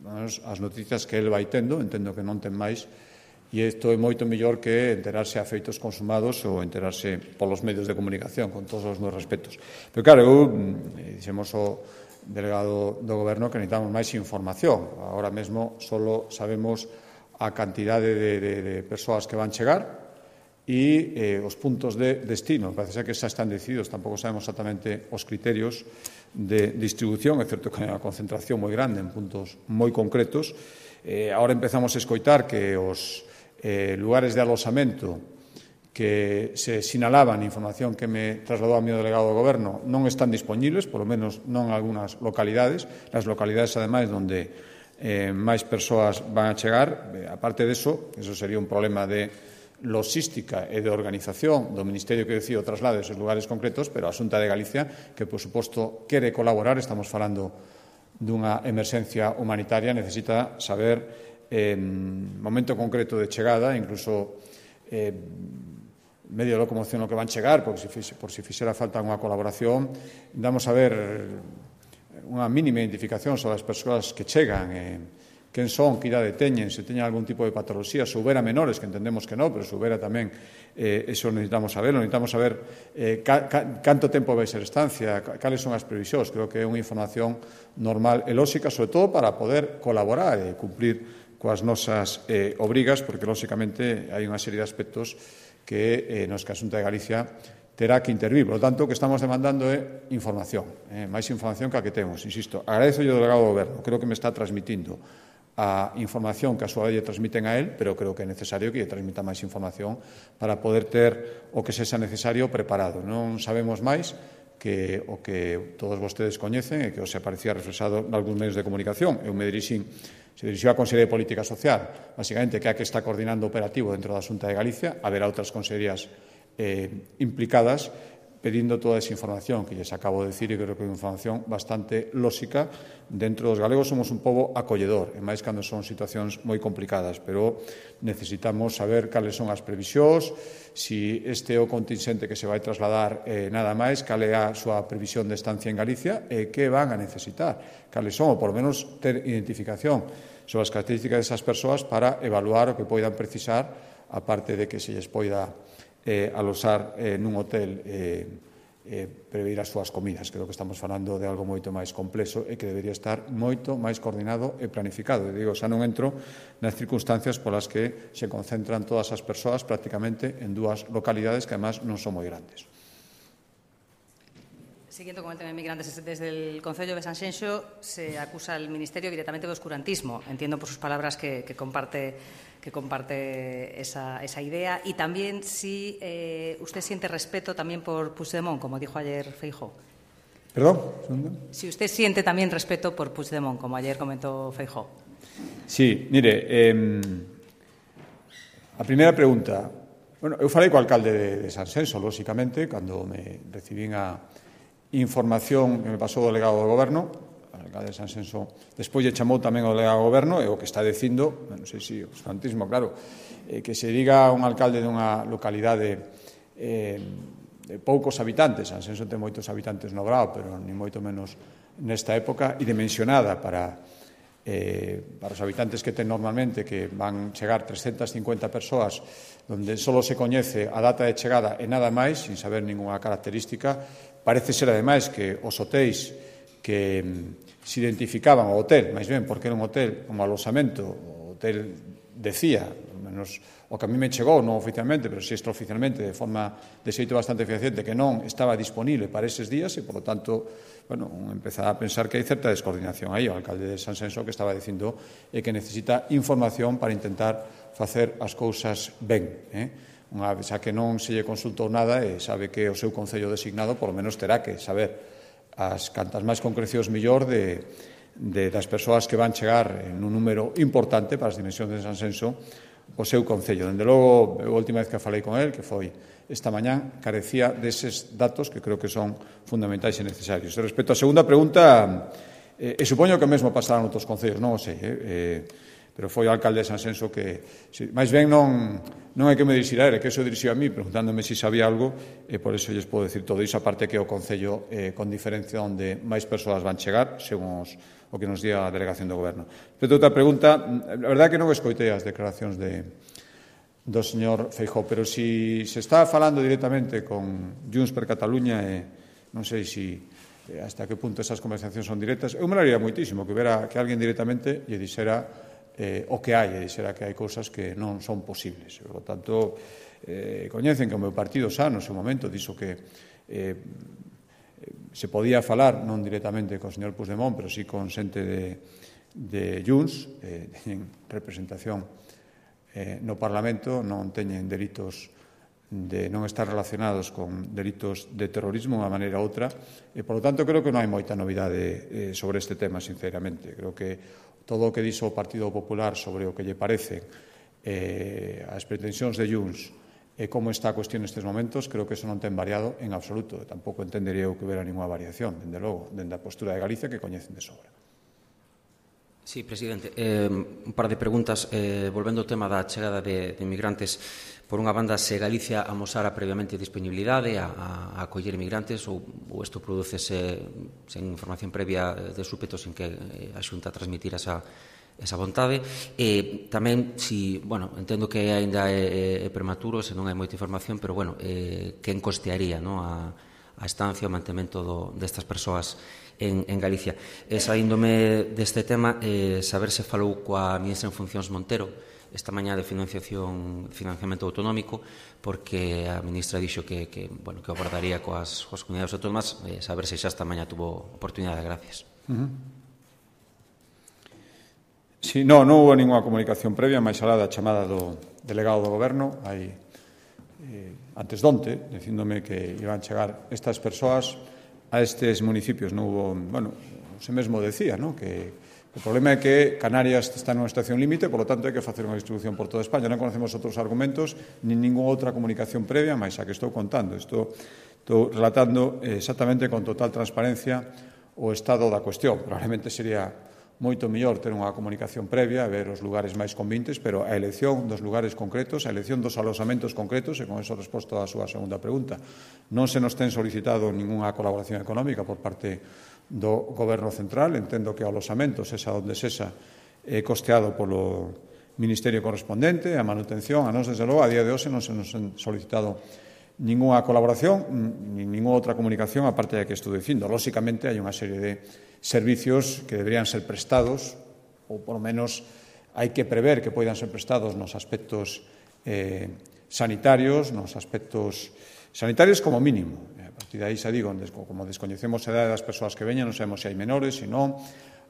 as noticias que el vai tendo, entendo que non ten máis, e isto é moito mellor que enterarse a feitos consumados ou enterarse polos medios de comunicación, con todos os meus respetos. Pero, claro, eu, dixemos o delegado do Goberno que necesitamos máis información. Agora mesmo só sabemos a cantidade de, de, de persoas que van chegar e eh, os puntos de destino. Parece ser que xa están decididos, tampouco sabemos exactamente os criterios de distribución, é certo que hai unha concentración moi grande en puntos moi concretos. Eh, agora empezamos a escoitar que os eh, lugares de alosamento que se sinalaban, información que me trasladou a mi delegado do Goberno, non están disponibles, polo menos non en algunhas localidades, nas localidades, ademais, onde eh, máis persoas van a chegar. Eh, aparte de eso, eso sería un problema de logística e de organización do Ministerio que decide o traslado esos lugares concretos, pero a Xunta de Galicia, que, por suposto, quere colaborar, estamos falando dunha emerxencia humanitaria, necesita saber eh, momento concreto de chegada, incluso eh, medio de locomoción no que van chegar, porque se fixe, por si fixera falta unha colaboración, damos a ver unha mínima identificación sobre as persoas que chegan, eh, quen son, que idade teñen, se teñen algún tipo de patoloxía, se houbera menores, que entendemos que non, pero se houbera tamén, eh, eso necesitamos saberlo, necesitamos saber eh, ca, ca, canto tempo vai ser estancia, cales son as previsións. Creo que é unha información normal e lóxica, sobre todo para poder colaborar e cumplir coas nosas eh, obrigas, porque, lóxicamente, hai unha serie de aspectos que eh, nos que a Xunta de Galicia terá que intervir. Por lo tanto, o que estamos demandando é información, eh, máis información que a que temos. Insisto, agradezo yo ao delegado do Goberno, creo que me está transmitindo a información que a súa vez lle transmiten a él, pero creo que é necesario que lle transmita máis información para poder ter o que sexa necesario preparado. Non sabemos máis que o que todos vostedes coñecen e que os aparecía reflexado en algúns medios de comunicación. Eu me dirixín, se dirixiu a Consellería de Política Social, basicamente, que é a que está coordinando o operativo dentro da Xunta de Galicia. Haberá outras consellerías eh, implicadas, pedindo toda esa información que lles acabo de decir, e creo que é unha información bastante lóxica. Dentro dos galegos somos un pobo acolledor, e máis cando son situacións moi complicadas, pero necesitamos saber cales son as previsións, si este é o contingente que se vai trasladar eh, nada máis, cal é a súa previsión de estancia en Galicia e que van a necesitar, cales son, ou por lo menos ter identificación sobre as características desas persoas para evaluar o que poidan precisar, aparte de que se lles poida Eh, alosar eh, nun hotel eh, eh, prever as súas comidas. Creo que estamos falando de algo moito máis complexo e que debería estar moito máis coordinado e planificado. E digo, xa non entro nas circunstancias polas que se concentran todas as persoas prácticamente en dúas localidades que, además, non son moi grandes. Siguiendo con el tema de inmigrantes, desde el Concello de Sanxenxo se acusa al Ministerio directamente de oscurantismo. Entiendo por sus palabras que, que comparte que comparte esa, esa idea, y también si eh, usted siente respeto también por Puigdemont, como dijo ayer Feijóo. ¿Perdón? Si usted siente también respeto por Puigdemont, como ayer comentó Feijóo. Sí, mire, eh, a primeira pregunta. Bueno, eu falei co alcalde de, de Sanxenxo, lóxicamente, cando me recibín a información que me pasou o delegado do Goberno. alcalde de Sanxenxo despois lle chamou tamén o delegado do goberno e o que está dicindo, non sei se o espantismo, claro, eh, que se diga un alcalde dunha localidade eh, de poucos habitantes, Sanxenxo ten moitos habitantes no Grao, pero ni moito menos nesta época, e dimensionada para Eh, para os habitantes que ten normalmente, que van chegar trescentas cincuenta persoas, donde só se coñece a data de chegada e nada máis, sin saber ninguna característica. Parece ser, ademais, que os hotéis que mm, se identificaban o hotel, máis ben, porque era un hotel como alosamento, o hotel decía, menos o que a mí me chegou, non oficialmente, pero si extraoficialmente, de forma de xeito bastante fehaciente, que non estaba disponible para eses días e, por lo tanto, bueno, empezaba a pensar que hai certa descoordinación aí. O alcalde de Sanxenxo que estaba dicindo é que necesita información para intentar facer as cousas ben. Eh? Unha vez a que non se lle consultou nada e sabe que o seu concello designado, por lo menos terá que saber as cantas máis concrecións millor de, de das persoas que van chegar en un número importante para as dimensións de Sanxenxo o seu concello. Dende logo, a última vez que falei con el, que foi esta mañán, carecía deses datos que creo que son fundamentais e necesarios. E respecto á segunda pregunta, eh, e supoño que mesmo pasará noutros concellos, non o sei, eh, eh, pero foi o alcalde de Sanxenxo que, si, máis ben non, non é que me dirixira ele, que eso dirixiu a mí, preguntándome se si sabía algo, e por eso lles podo decir todo iso, aparte que o concello, eh, con diferencia onde máis persoas van chegar, según os, o que nos diga a delegación do goberno. Respecto a outra pregunta, a verdade é que non escoitei as declaracións de do señor Feijóo, pero si se está falando directamente con Junts per Cataluña, e non sei si eh, hasta que punto esas conversacións son directas, eu me laría moitísimo que vera que alguén directamente lle dixera eh, o que hai, e dixera que hai cousas que non son posibles. Por lo tanto, eh, coñecen que o meu partido xa no seu momento dixo que eh, se podía falar non directamente co señor Puigdemont, pero sí con xente de, de Junts, eh, teñen representación eh, no Parlamento, non teñen delitos de non estar relacionados con delitos de terrorismo unha maneira ou outra, e, por lo tanto, creo que non hai moita novidade eh, sobre este tema, sinceramente. Creo que todo o que dixo o Partido Popular sobre o que lle parece eh, as pretensións de Junts e como está a cuestión nestes momentos, creo que eso non ten variado en absoluto. Tampouco entendería eu que hubiera ninguna variación, dende logo, dende a postura de Galicia, que coñecen de sobra. Sí, presidente. Eh, un par de preguntas. Eh, volvendo ao tema da chegada de, de inmigrantes, por unha banda, se Galicia amosara previamente disponibilidade a, a, a acoller inmigrantes ou, ou isto producese sen información previa de súpeto, sin que a Xunta transmitira esa, esa vontade. E tamén, si, bueno, entendo que aínda é, é prematuro, se non hai moita información, pero, bueno, eh, quen costearía, no, a, a estancia, o mantemento do, destas persoas en, en Galicia. E saíndome deste tema, eh, saber se falou coa ministra en funcións Montero esta mañá de financiación, financiamento autonómico, porque a ministra dixo que, que, bueno, que abordaría coas, coas comunidades autónomas, eh, saber se xa esta mañá tuvo oportunidade. Gracias. Uh-huh. Sí, no, non houve ninguna comunicación previa, máis alá da chamada do delegado do goberno, hai eh, antes donte, dicíndome que iban chegar estas persoas a estes municipios. Non hubo, bueno, se mesmo decía, ¿no?, que o problema é que Canarias está nunha situación límite, por lo tanto, hai que facer unha distribución por toda España. Non conocemos outros argumentos, nin ninguna outra comunicación previa, máis a que estou contando. Estou, estou relatando exactamente con total transparencia o estado da cuestión. Probablemente sería moito mellor ter unha comunicación previa, ver os lugares máis convintes, pero a elección dos lugares concretos, a elección dos alosamentos concretos, e con eso resposto á súa segunda pregunta, non se nos ten solicitado ninguna colaboración económica por parte do Goberno Central. Entendo que o alosamento, sexa onde sexa, é costeado polo Ministerio correspondente, a manutención. A nós, desde logo, a día de hoxe non se nos han solicitado ninguna colaboración, nin ninguna outra comunicación, aparte da que estou dicindo. Lóxicamente, hai unha serie de servicios que deberían ser prestados, ou, por lo menos, hai que prever que poidan ser prestados nos aspectos eh, sanitarios, nos aspectos sanitarios como mínimo. A partir de aí, xa digo, como descoñecemos a edade das persoas que veñan, non sabemos se hai menores, se non,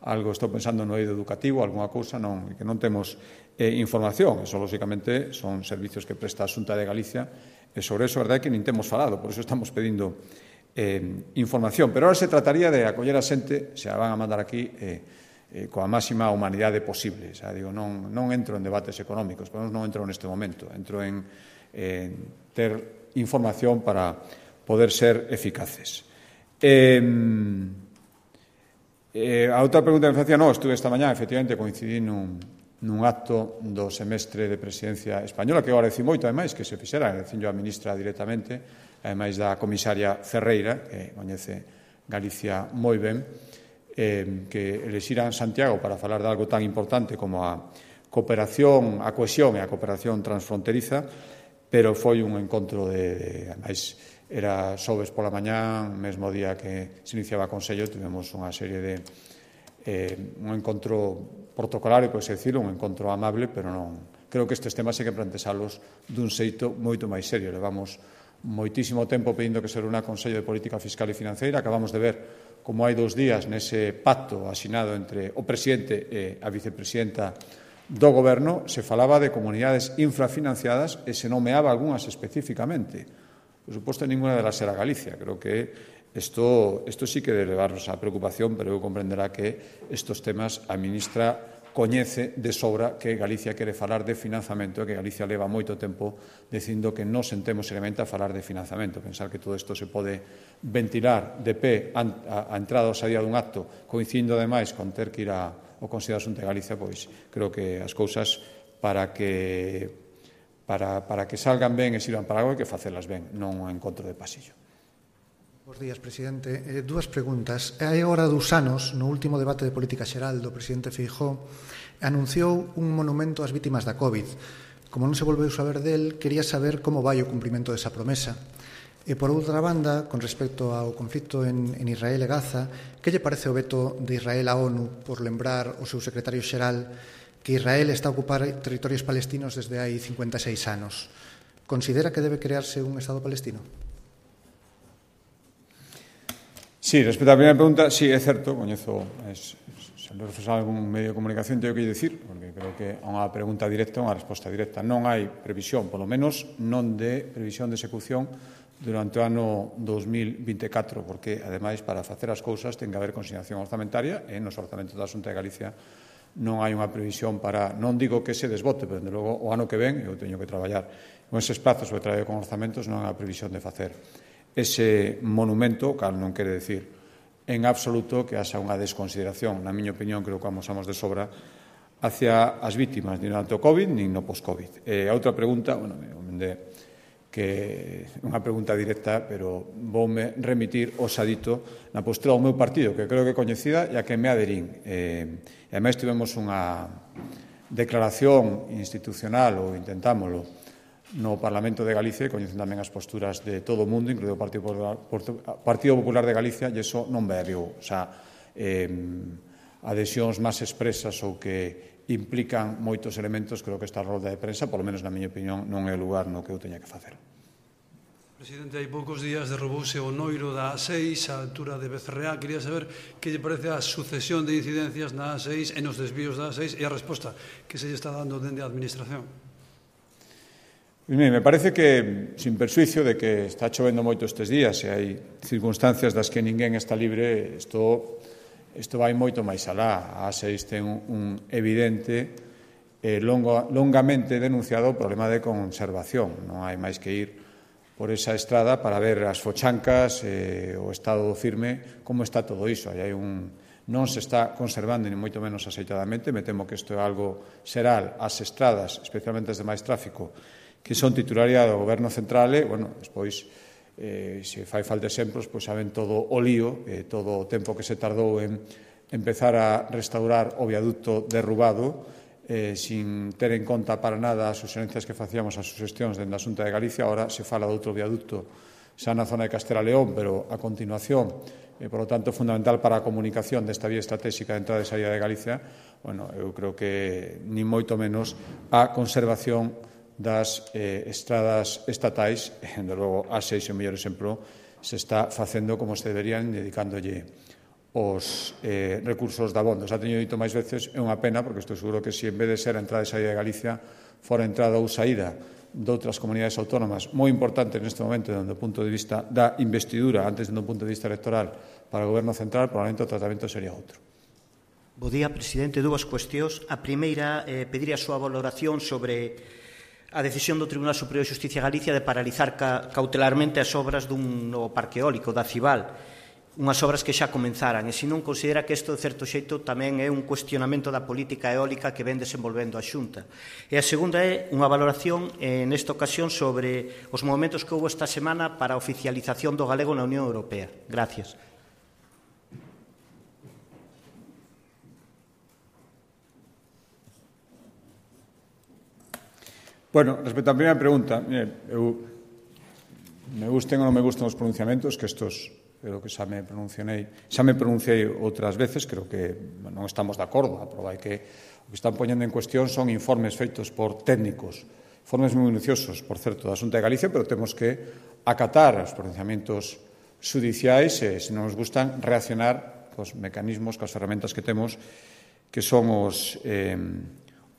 algo estou pensando no eido educativo, alguna cousa, non, que non temos eh, información. Eso, lóxicamente, son servicios que presta a Xunta de Galicia, e sobre eso, a verdade, que nin temos falado, por eso estamos pedindo eh, información. Pero ahora se trataría de acoller a xente, se a van a mandar aquí, eh, eh, coa máxima humanidade posible. Xa digo, non, non entro en debates económicos, por non entro neste momento, entro en eh, ter información para poder ser eficaces. Eh, Eh, a outra pregunta que me facía, no, estuve esta mañá, efectivamente, coincidí nun, nun acto do semestre de presidencia española, que eu agradeci moito, ademais, que se fixera, agradecín a ministra directamente, ademais da comisaria Ferreira, que coñece Galicia moi ben, eh, que elexiran Santiago para falar de algo tan importante como a cooperación, a cohesión e a cooperación transfronteriza, pero foi un encontro de, de ademais, era xoves pola mañá, mesmo día que se iniciaba o Consello, tivemos unha serie de eh, un encontro protocolario, pois decirlo, un encontro amable, pero non, creo que estes temas hai que plantealos dun xeito moito máis serio. Levamos moitísimo tempo pedindo que se reúna o Consello de Política Fiscal e Financeira, acabamos de ver como hai dous días nese pacto asinado entre o presidente e a vicepresidenta do Goberno, se falaba de comunidades infrafinanciadas e se nomeaba algunhas especificamente. Por suposto, ninguna delas era Galicia. Creo que isto, isto sí que debe levarnos a preocupación, pero eu comprenderá que estes temas a ministra coñece de sobra que Galicia quere falar de financiamento e que Galicia leva moito tempo dicindo que non sentemos seriamente a falar de financiamento. Pensar que todo isto se pode ventilar de pé a, a entrada ou saída dun acto, coincidindo ademais con ter que ir ao Consello de Asunto de Galicia, pois creo que as cousas para que Para, para que salgan ben e sirvan para algo, hai que facelas ben, non un encontro de pasillo. Bos días, presidente. Eh, dúas preguntas. Hai agora dous anos, no último debate de política xeral do presidente Feijóo, anunciou un monumento ás vítimas da COVID. Como non se volveu saber del, quería saber como vai o cumprimento desa promesa. E, por outra banda, con respecto ao conflito en, en Israel e Gaza, que lle parece o veto de Israel á ONU por lembrar o seu secretario xeral que Israel está a ocupar territorios palestinos desde hai cincuenta e seis anos? Considera que debe crearse un Estado palestino? Sí, respecto á primeira pregunta, sí, é certo, coñezo, es, se lo refresar algún medio de comunicación, teño que dicir, porque creo que a unha pregunta directa, unha resposta directa. Non hai previsión, polo menos non de previsión de execución durante o ano dos mil vinte e catro, porque, ademais, para facer as cousas ten que haber consignación orzamentaria e nos orzamentos da Xunta de Galicia non hai unha previsión para, non digo que se desbote, pero, desde logo, o ano que ven, eu teño que traballar con eses plazos, o traballo con orzamentos, non hai unha previsión de facer ese monumento, cal non quere decir en absoluto que haxa unha desconsideración, na miña opinión, creo que amosamos de sobra, hacia as vítimas, nin durante o COVID, nin no post-COVID. E a outra pregunta, bueno, de que é unha pregunta directa, pero voume remitir o sadito na postura do meu partido, que creo que é coñecida e a que me aderín. E, e ademais tivemos unha declaración institucional, ou intentámoslo, no Parlamento de Galicia, e coñecen tamén as posturas de todo o mundo, incluído o Partido Popular, Partido Popular de Galicia, e iso non variou. O sea, eh, adhesións máis expresas ou que implican moitos elementos, creo que esta rolda de prensa, polo menos na miña opinión, non é o lugar no que eu teña que facer. Presidente, hai poucos días derrubouse o noiro da A seis á altura de Becerreá. Quería saber que lle parece a sucesión de incidencias na A seis e nos desvíos da A seis e a resposta que se lle está dando dende a Administración. Me parece que, sin persuicio de que está chovendo moito estes días e hai circunstancias das que ninguén está libre, isto... Isto vai moito máis alá. A A seis ten un evidente e longo, longamente denunciado problema de conservación. Non hai máis que ir por esa estrada para ver as fochancas, eh, o estado do firme, como está todo iso. Aí hai un, non se está conservando, ni moito menos aceitadamente. Me temo que isto é algo xeral. As estradas, especialmente as de máis tráfico, que son titularidade do Goberno Central, e, bueno, despois... Eh, se fai falta exemplos, pois saben todo o lío, eh, todo o tempo que se tardou en empezar a restaurar o viaducto derrubado, eh, sin ter en conta para nada as suxerencias que facíamos as suxestións dende a Xunta de Galicia. Ahora se fala de outro viaducto xa na zona de Castela León, pero a continuación, e, por lo tanto, fundamental para a comunicación desta vía estratégica de entrada e saída de Galicia. Bueno, eu creo que ni moito menos a conservación das eh, estradas estatais, e, de logo, a seis o mellor exemplo, se está facendo como se deberían, dedicándolle os eh, recursos da abondo. Xa teño dito máis veces, é unha pena, porque estou seguro que se en vez de ser a entrada e saída de Galicia fora entrada ou saída de outras comunidades autónomas, moi importante neste momento, dende o punto de vista da investidura, antes dende o punto de vista electoral, para o Goberno Central, probablemente o tratamento sería outro. Bo día, presidente. Dúas cuestións. A primeira, eh, pedir a súa valoración sobre a decisión do Tribunal Superior de Xusticia de Galicia de paralizar ca cautelarmente as obras dun novo parque eólico da Cival. unhas obras que xa comenzaran, e se non considera que isto, de certo xeito, tamén é un cuestionamento da política eólica que ven desenvolvendo a Xunta. E a segunda é unha valoración, eh, nesta ocasión, sobre os movimentos que houve esta semana para a oficialización do galego na Unión Europea. Gracias. Bueno, respecto á primeira pregunta, mire, eu me gusten ou non me gusten os pronunciamentos, que estos creo que xa me pronunciei, xa me pronunciei outras veces, creo que non estamos de acordo, a prova é que o que están poñendo en cuestión son informes feitos por técnicos, informes moi minuciosos, por certo, da Xunta de Galicia, pero temos que acatar os pronunciamentos judiciais e, se non nos gustan, reaccionar cos mecanismos, cos ferramentas que temos, que son os, eh,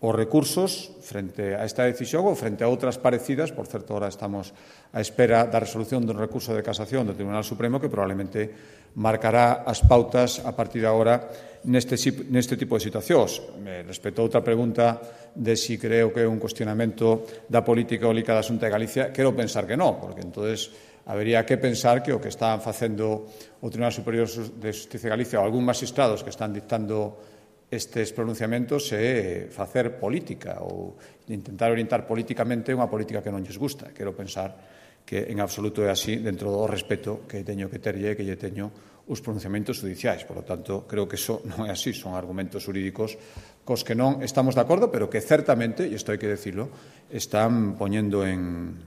os recursos frente a esta decisión ou frente a outras parecidas. Por certo, ahora estamos á espera da resolución do recurso de casación do Tribunal Supremo, que probablemente marcará as pautas a partir de agora neste, neste tipo de situacións. Me respecto a outra pregunta de si creo que é un cuestionamento da política eólica da Xunta de Galicia, quero pensar que non, porque entonces habería que pensar que o que están facendo o Tribunal Superior de Justicia de Galicia ou algún magistrados que están dictando estes pronunciamentos é facer política ou intentar orientar políticamente unha política que non lles gusta. Quero pensar que en absoluto é así dentro do respeto que teño que terlle e que lle teño os pronunciamentos judiciais. Por lo tanto, creo que eso non é así, son argumentos jurídicos cos que non estamos de acordo, pero que certamente, e isto hai que decirlo, están poñendo en,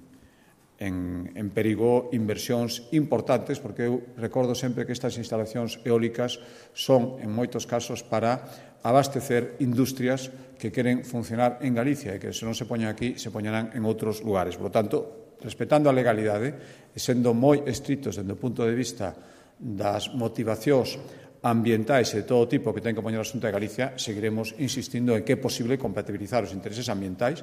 en, en perigo inversións importantes, porque eu recordo sempre que estas instalacións eólicas son, en moitos casos, para abastecer industrias que queren funcionar en Galicia e que, se non se poñen aquí, se poñerán en outros lugares. Por lo tanto, respetando a legalidade e sendo moi estritos desde o punto de vista das motivacións ambientais e de todo tipo que ten que poñer a Xunta de Galicia, seguiremos insistindo en que é posible compatibilizar os intereses ambientais.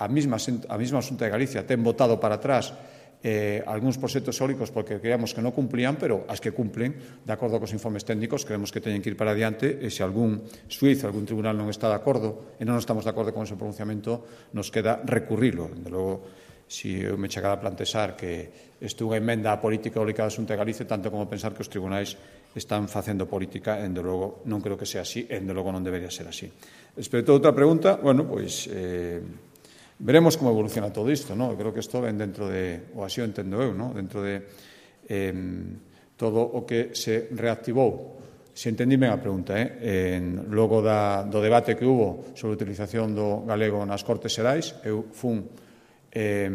A mesma, a mesma Xunta de Galicia ten votado para atrás eh, algúns proxectos eólicos porque creíamos que non cumplían, pero as que cumplen, de acordo cos informes técnicos, creemos que teñen que ir para adiante, e se algún suízo, algún tribunal non está de acordo e non estamos de acordo con ese pronunciamento, nos queda recurrilo. Desde logo, si eu me chegara a plantexar que isto é unha emenda á política eólica da Xunta de Galicia, tanto como pensar que os tribunais están facendo política, e, dende logo, non creo que sea así, e, dende logo, non debería ser así. Respecto a outra pregunta, bueno, pois, eh, veremos como evoluciona todo isto, non? Creo que isto ven dentro de, ou así o entendo eu, non? Dentro de eh, todo o que se reactivou. Se entendí ben a pregunta, eh? En, logo da, do debate que hubo sobre a utilización do galego nas Cortes Xerais, eu fun Eh,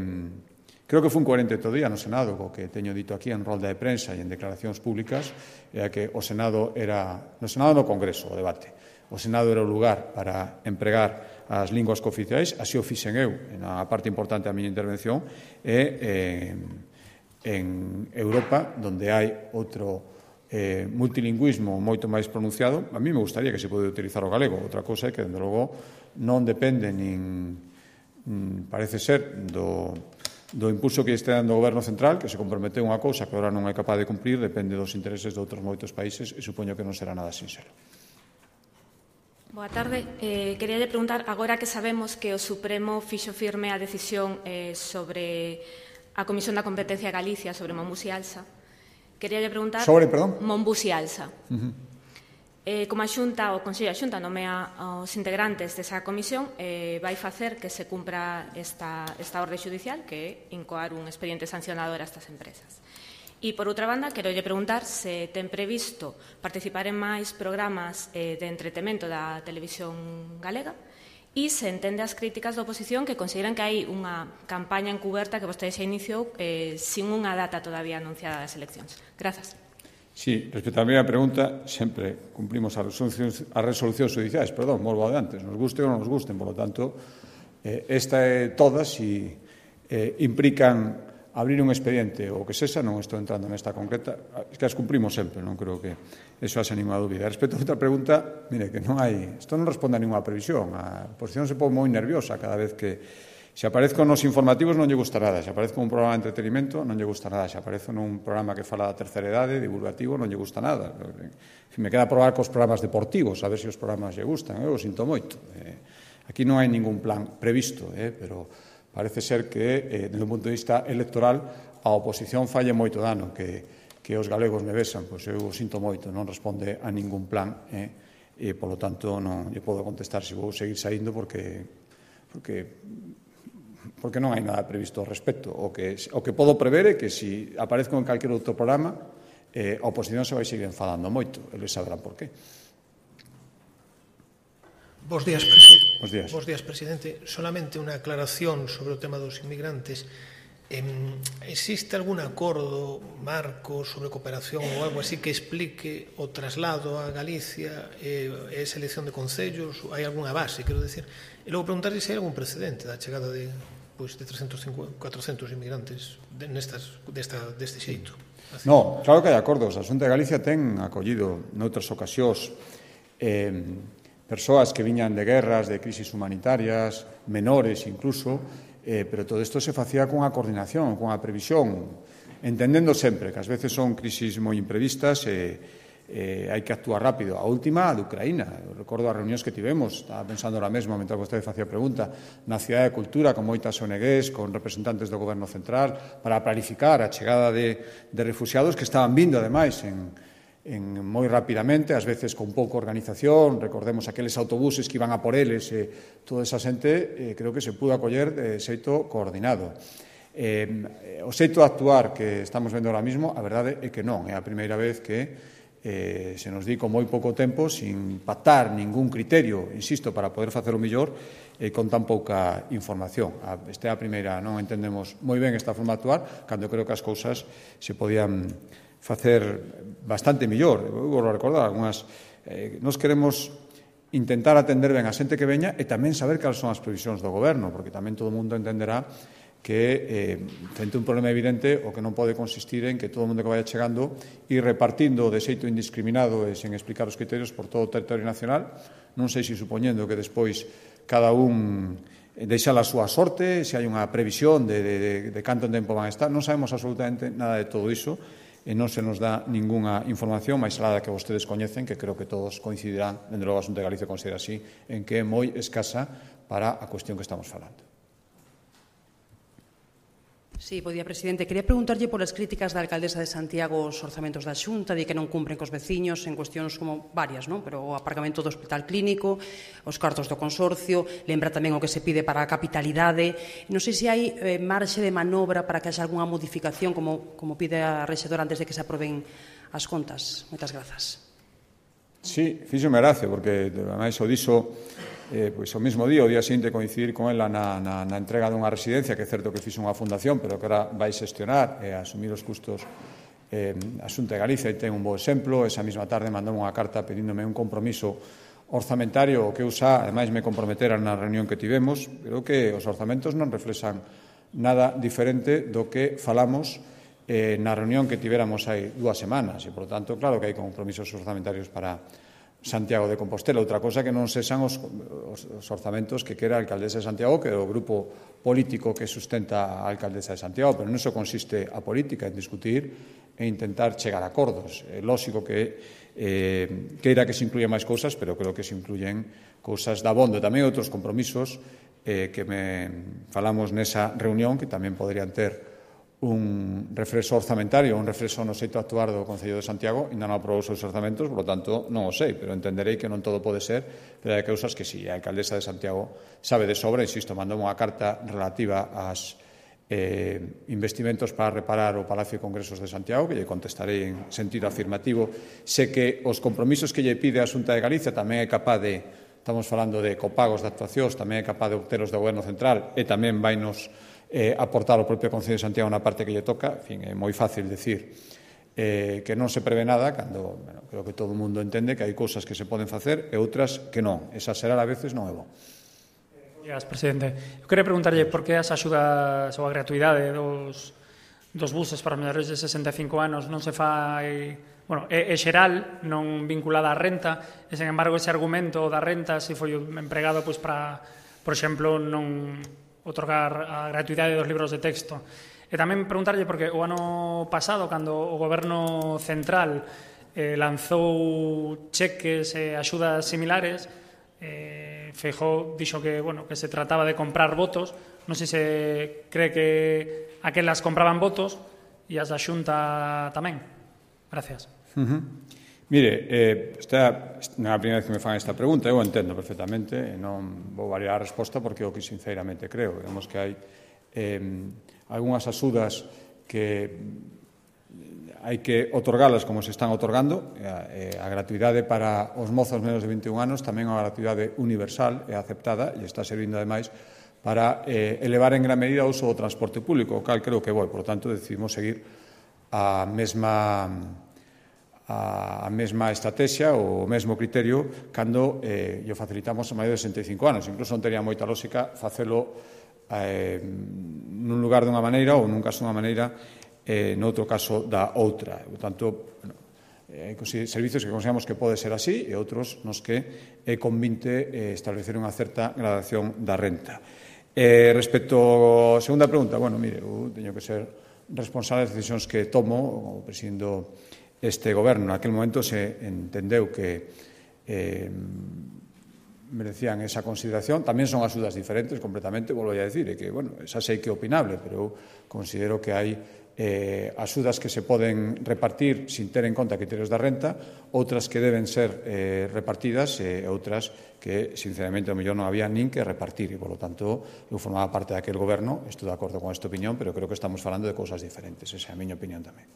creo que fun coherente todo día no Senado, co que teño dito aquí en rolda de prensa e en declaracións públicas, era que o Senado era, no Senado no Congreso, o debate, o Senado era o lugar para empregar as linguas cooficiais, así o fixen eu, na parte importante da miña intervención, e eh, en Europa, donde hai outro eh, multilingüismo moito máis pronunciado, a mí me gustaría que se pode utilizar o galego. Outra cousa é que, dende logo, non depende nin parece ser do, do impulso que este dando o Goberno central, que se comprometeu unha cousa que agora non é capaz de cumplir, depende dos intereses de outros moitos países, e supoño que non será nada sinxelo. Boa tarde. Eh, quería lle preguntar, agora que sabemos que o Supremo fixo firme a decisión eh, sobre a Comisión da Competencia de Galicia sobre Monbus e Alsa, quería lle preguntar... Sobre, perdón? Monbus e Alsa. Uh-huh. Eh, como a Xunta, o Consello da Xunta nomea aos integrantes desa comisión, eh, vai facer que se cumpra esta, esta orde judicial, que é incoar un expediente sancionador a estas empresas. E, por outra banda, quero lle preguntar se ten previsto participar en máis programas eh, de entretemento da televisión galega e se entende as críticas da oposición que consideran que hai unha campaña encuberta que vostede xa iniciou eh, sin unha data todavía anunciada das eleccións. Grazas. Sí, respecto á primeira pregunta, sempre cumplimos as resolucións, as resolucións judiciais, perdón, volvo adelante, nos guste ou non nos gusten, por lo tanto, eh, esta é todas e eh, implican abrir un expediente ou que sexa, non estou entrando nesta concreta, es que as cumplimos sempre, non creo que eso haxe ninguna dúbida. Respecto a outra pregunta, mire, que non hai, isto non responde a ninguna previsión, a oposición se pon moi nerviosa cada vez que se aparezco nos informativos non lle gusta nada, se aparezco un programa de entretenimento non lle gusta nada, se aparezco nun programa que fala da terceira idade, divulgativo, non lle gusta nada. Me queda probar cos programas deportivos, a ver se os programas lle gustan, eu o sinto moito. Eh, aquí non hai ningún plan previsto, eh, pero parece ser que, eh, desde un punto de vista electoral, a oposición falle moito dano, que que os galegos me besan, pois eu sinto moito, non responde a ningún plan, eh, e, polo tanto, non lle podo contestar se vou seguir saindo porque, porque, porque non hai nada previsto ao respecto. O que, o que podo prever é que se aparezco en calquer outro programa, eh, a oposición se vai seguir enfadando moito, eles saberán por qué. Bos días, presi Bos días. Bos días, presidente. Solamente unha aclaración sobre o tema dos inmigrantes. Eh, existe algún acordo, marco sobre cooperación ou algo así que explique o traslado a Galicia e eh, esa elección de concellos? Hai algunha base, quero decir? E logo preguntarle se hai algún precedente da chegada de, pois, de trescentos cincuenta, cuatrocentos inmigrantes de, nestas, desta, deste xeito. Así. No, claro que hai acordos. A Xunta de Galicia ten acollido noutras ocasións eh, persoas que viñan de guerras, de crisis humanitarias, menores incluso, eh, pero todo isto se facía cunha coordinación, cunha previsión, entendendo sempre que ás veces son crisis moi imprevistas e eh, hai que actuar rápido. A última, a de Ucraína. Eu recordo as reunións que tivemos, estaba pensando ahora mesmo, mentre vostede facía pregunta, na Cidade de Cultura, con moitas O N Gs, con representantes do Goberno Central, para planificar a chegada de, de refugiados que estaban vindo, ademais, en En, moi rapidamente, ás veces con pouca organización, recordemos aqueles autobuses que iban a por eles, e toda esa xente eh, creo que se pudo acoller de xeito coordinado. Eh, o xeito de actuar que estamos vendo ahora mismo, a verdade é que non, é a primeira vez que eh, se nos di con moi pouco tempo, sin pactar ningún criterio, insisto, para poder facer o mellor, e eh, con tan pouca información. A, esta é a primeira, non entendemos moi ben esta forma de actuar, cando creo que as cousas se podían facer bastante mellor. Eu vou recordar algunhas. Eh, nos queremos intentar atender ben a xente que veña e tamén saber cales son as previsións do goberno, porque tamén todo o mundo entenderá que eh, frente a un problema evidente o que non pode consistir en que todo o mundo que vaya chegando e repartindo de xeito indiscriminado e sen explicar os criterios por todo o territorio nacional, non sei se supoñendo que despois cada un deixa a súa sorte, se hai unha previsión de, de, de, de canto tempo van a estar, non sabemos absolutamente nada de todo iso, e non se nos dá ningunha información máis alá da que vostedes coñecen, que creo que todos coincidirán, dende logo a Xunta de Galicia considera así, en que é moi escasa para a cuestión que estamos falando. Sí, bo día, presidente. Quería preguntarlle por as críticas da alcaldesa de Santiago aos orzamentos da Xunta, de que non cumpren cos veciños en cuestións como varias, non? Pero o aparcamento do hospital clínico, os cartos do consorcio, lembra tamén o que se pide para a capitalidade. Non sei se hai eh, marxe de manobra para que haxa algunha modificación, como, como pide a rexedora antes de que se aproben as contas. Moitas grazas. Sí, fíxome gracia, porque ademais o dixo eh, pois, o mismo día, o día seguinte coincidir con ela na, na, na entrega dunha residencia, que é certo que fixo unha fundación, pero que ahora vai xestionar e asumir os custos eh, a Xunta de Galicia, e ten un bo exemplo. Esa mesma tarde mandou unha carta pedíndome un compromiso orzamentario que eu xa, ademais, me comprometera na reunión que tivemos. Creo que os orzamentos non reflexan nada diferente do que falamos eh, na reunión que tivéramos hai dúas semanas, e, por tanto, claro que hai compromisos orzamentarios para Santiago de Compostela. Outra cosa que non sexan os, os, os orzamentos que quera a alcaldesa de Santiago, que é o grupo político que sustenta a alcaldesa de Santiago, pero non iso consiste a política, en discutir e intentar chegar a acordos. É lógico que eh, queira que se incluyan máis cousas, pero creo que se incluyen cousas da bondo. Tamén outros compromisos eh, que me falamos nesa reunión, que tamén poderían ter un reflexo orzamentario, un reflexo no xeito de actuar do Concello de Santiago. Ainda non aprobou os seus orzamentos, por lo tanto, non o sei, pero entenderei que non todo pode ser, pero hai cousas que si, a alcaldesa de Santiago sabe de sobra. Insisto, mandou unha carta relativa ás eh, investimentos para reparar o Palacio de Congresos de Santiago, que lle contestarei en sentido afirmativo. Sé que os compromisos que lle pide a Xunta de Galicia tamén é capaz de, estamos falando de copagos de actuacións, tamén é capaz de obteros do Goberno Central, e tamén vai nos Eh, aportar o propio Concello de Santiago na parte que lle toca. En fin, é moi fácil decir eh, que non se prevé nada, cando bueno, creo que todo o mundo entende que hai cousas que se poden facer e outras que non. Exagerar a veces non é bo. Gracias, presidente. Eu queria preguntarlle por que as axudas ou a gratuidade dos, dos buses para menores de sesenta e cinco anos non se fai... Bueno, é, é xeral, non vinculada á renta, e, sen embargo, ese argumento da renta se foi empregado pois, para, por exemplo, non otorgar a gratuidade dos libros de texto. E tamén preguntarlle, porque o ano pasado, cando o Goberno Central eh, lanzou cheques e axudas similares, eh, Feijóo dixo que, bueno, que se trataba de comprar votos. Non sei se cree que aquelas compraban votos e as da Xunta tamén. Gracias. Uh -huh. Mire, eh, esta non é a primeira vez que me fan esta pregunta, eu entendo perfectamente, e non vou variar a resposta porque é o que sinceramente creo. Vemos que hai eh, algunhas axudas que hai que otorgalas como se están otorgando. A, a gratuidade para os mozos menos de vinte e un anos tamén é unha gratuidade universal e aceptada e está servindo ademais para eh, elevar en gran medida o uso do transporte público, o cal creo que voi. Por lo tanto, decidimos seguir a mesma a mesma estrategia ou o mesmo criterio cando eh, lle facilitamos a maior de sesenta e cinco anos. Incluso non tería moita lógica facelo eh, nun lugar dunha maneira ou nun caso dunha maneira eh, noutro caso da outra. Por tanto, bueno, hai eh, servicios que consideramos que pode ser así e outros nos que é convinte eh, establecer unha certa gradación da renta. Eh, respecto á segunda pregunta, bueno, mire, eu teño que ser responsable das decisións que tomo, ou presidindo este goberno. Naquel momento se entendeu que eh, merecían esa consideración. Tamén son axudas diferentes completamente, volvo a decir, e que, bueno, esa sei que é opinable, pero eu considero que hai eh, axudas que se poden repartir sin ter en conta criterios da renta, outras que deben ser eh, repartidas e outras que, sinceramente, ao mellor non había nin que repartir e, polo tanto, eu formaba parte daquel goberno, estou de acordo con esta opinión, pero creo que estamos falando de cousas diferentes. Esa é a miña opinión tamén.